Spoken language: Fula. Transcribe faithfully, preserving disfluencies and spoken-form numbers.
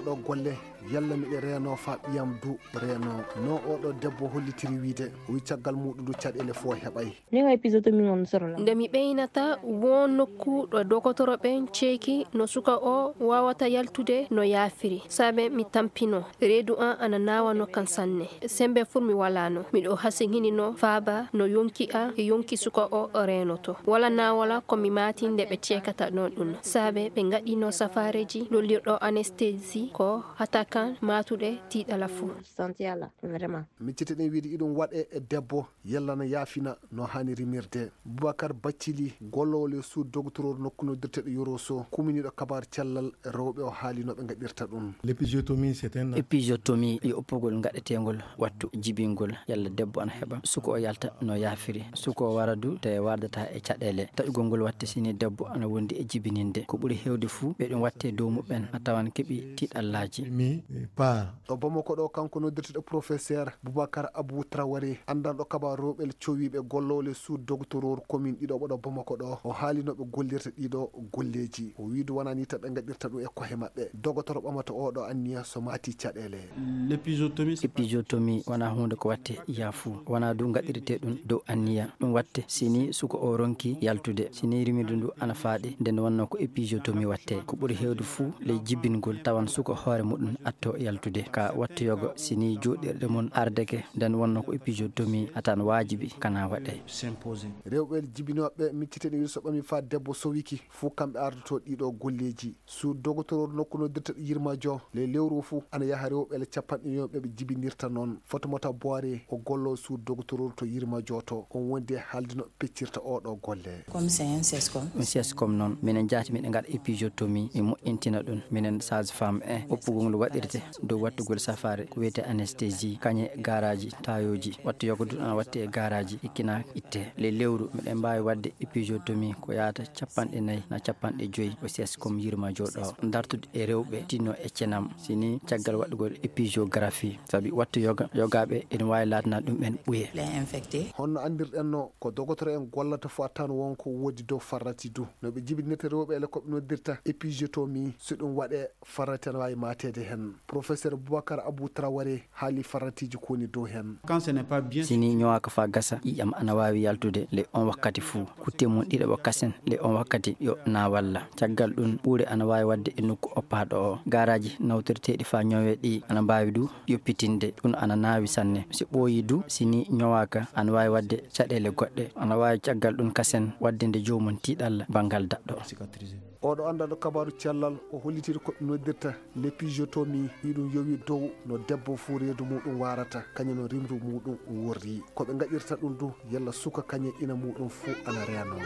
Ɗo golle, yalla miɗe reenoo faa ɓiyam du reenoo? No oɗo debbo hollitiri wiide, o wi caggal muuɗum du caɗeele fof heɓay. Nde mi ɓeynata woo nokku ɗo dogotoro ɓen ceeki no suka o waawata yaltude no yaafiri, saabe mi tampinoo. Reedu an ana naawano kan sanne. Sembe fuu mi walaano. Miɗo hasinhinino faaba no yonki an e yonki suka o reenoto. Wala naawala ko mi maati nde ɓe ceekata ɗon ɗun, saabe ɓe ngaɗino safaareeji lollirɗo anesthésie ko hata kan maatuɗe tiiɗala fuu. Miccite ɗen wiide iɗum waɗe e debbo, yalla no yaafina no haani rimirde. Bubakar Baccili, golloowo le suud dogotoroor nokku noddirteeɗo Yoroso, kuminiiɗo kabaar cellal rewɓe, o haali no ɓe ngaɗirta ɗum. L'épisiotomie, c'est un acte. Épisiotomie yo oppugol ngaɗeteengol wattu jibingol, yalla debbo ana heɓa suka o yalta no yaafiri. Suka o wara du tawi wardata e caɗeele. Taƴugol ngol watte sini debbo ana wondi e jibininde. Ko ɓuri heewde fuu ɓe ɗum watte dow muɓɓen a tawan keɓi tiiɗallaaji. Mi, eh, pas. Ɗo Bamako ɗo, kanko noddirteeɗo professeur Boubacar Abou Traoré, anndanɗo kabaar rewɓe cowiiɓe, golloowo le suud dogotoroor commune ɗiɗo ɓo ɗo Bamako ɗo, o haali no ɓe gollirta ɗiɗo golleeji. O wi du wonaa ni tan ɓe ngaɗirta ɗum e kohe maɓɓe. Dogotoro ɓamata oɗo anniya so maati caɗeele. L'épisiotomie, c'est pas... Épisiotomie wonaa huunde ko watte yaafuu. Wonaa du ngaɗirtee ɗum dow anniya. Ɗum watte sini suka o ronki yaltude. Sini rimirdu ndu ana faaɗi, nden wonno ko épisiotomie watte. Ko ɓuri heewde fuu ley jibingol, tawan suka hoore muɗum atto yaltude. Ka wattu yoga, sini jooɗirɗe mun ardeke, nden wonno ko épisiotomie atan waajibi kana waɗe. Rewɓe jibinooɓe micciteni wiide so ɓami faa debbo sowiki fuu, kamɓe ardoto ɗiɗo golleeji. Suud dogotoroor nokku noddirteeɗo Yirmajo, ley lewru fuu ana yaha rewɓe le capanɗe nayi ɓe ɓe jibinirta noon. Fotomota Boire, o golloowo suud dogotoroor to Yirmajo to, on wondi e haalde no ɓe peccirta oɗo golle. Comme c'est un sescom. Ɗum sescom noon, minen jaati miɗen ngaɗa épisiotomie, mi moƴƴintina ɗum. Minen sage-femme en, oppugol ngol waɗirte dow wattugol safaare, ko wiyetee anesthésie, kañe gaaraaji, taayooji, wattu yoga du ana watte e gaaraaji, ikkina itte. Ley lewru, miɗen mbaawi waɗde épisiotomie ko yaata capanɗe nayi na capanɗe joyi, o sescom Yirmajo ɗo. Dartude e rewɓe tinno e cenam, sini caggal waɗugol épisiographie, sabi wattu yoga, yogaaɓe ene waawi laatanaade ɗum ɓen ɓuye. Honno anndirɗen no ko dogotoro en gollata fuu a tawan won ko woodi dow farrati du. No ɓe jibinirta rewɓe le ko ɓe noddirta épisiotomie, so ɗum waɗe farrati ana waawi maateede hen. Professeur Boubacar Abou Traoré haali farratiiji ko woni dow hen. Quand ce n'est pas bien... Sini ñowaaka faa gasa, ƴiiƴam ana waawi yaltude le on wakkati fuu. Kutte mun ɗiɗaɓo kasen le on wakkati yo naawalla. Caggal ɗum, ɓuure ana waawi waɗde e nokku oppaaɗo o. Gaaraaji nawtirteeɗi faa ñowee ɗi ana mbaawi du yoppitinde. Ɗum ana naawi sanne. Si ɓooyii du, sini ñowaaka, ana waawi waɗde caɗeele goɗɗe. Ana waawi caggal ɗum kasen waɗde nde joomum tiiɗalla banngal daɗɗo. Oɗo anndanɗo kabaaru cellal, o hollitiri ko ɓe noddirta l'épisiotomie, iɗum yowi dow no debbo fuu reedu muuɗum waarata, kañum no rimru muuɗum worri. Ko ɓe ngaɗirta ɗum du, yalla suka kañum ina muuɗum fuu ana reenoo.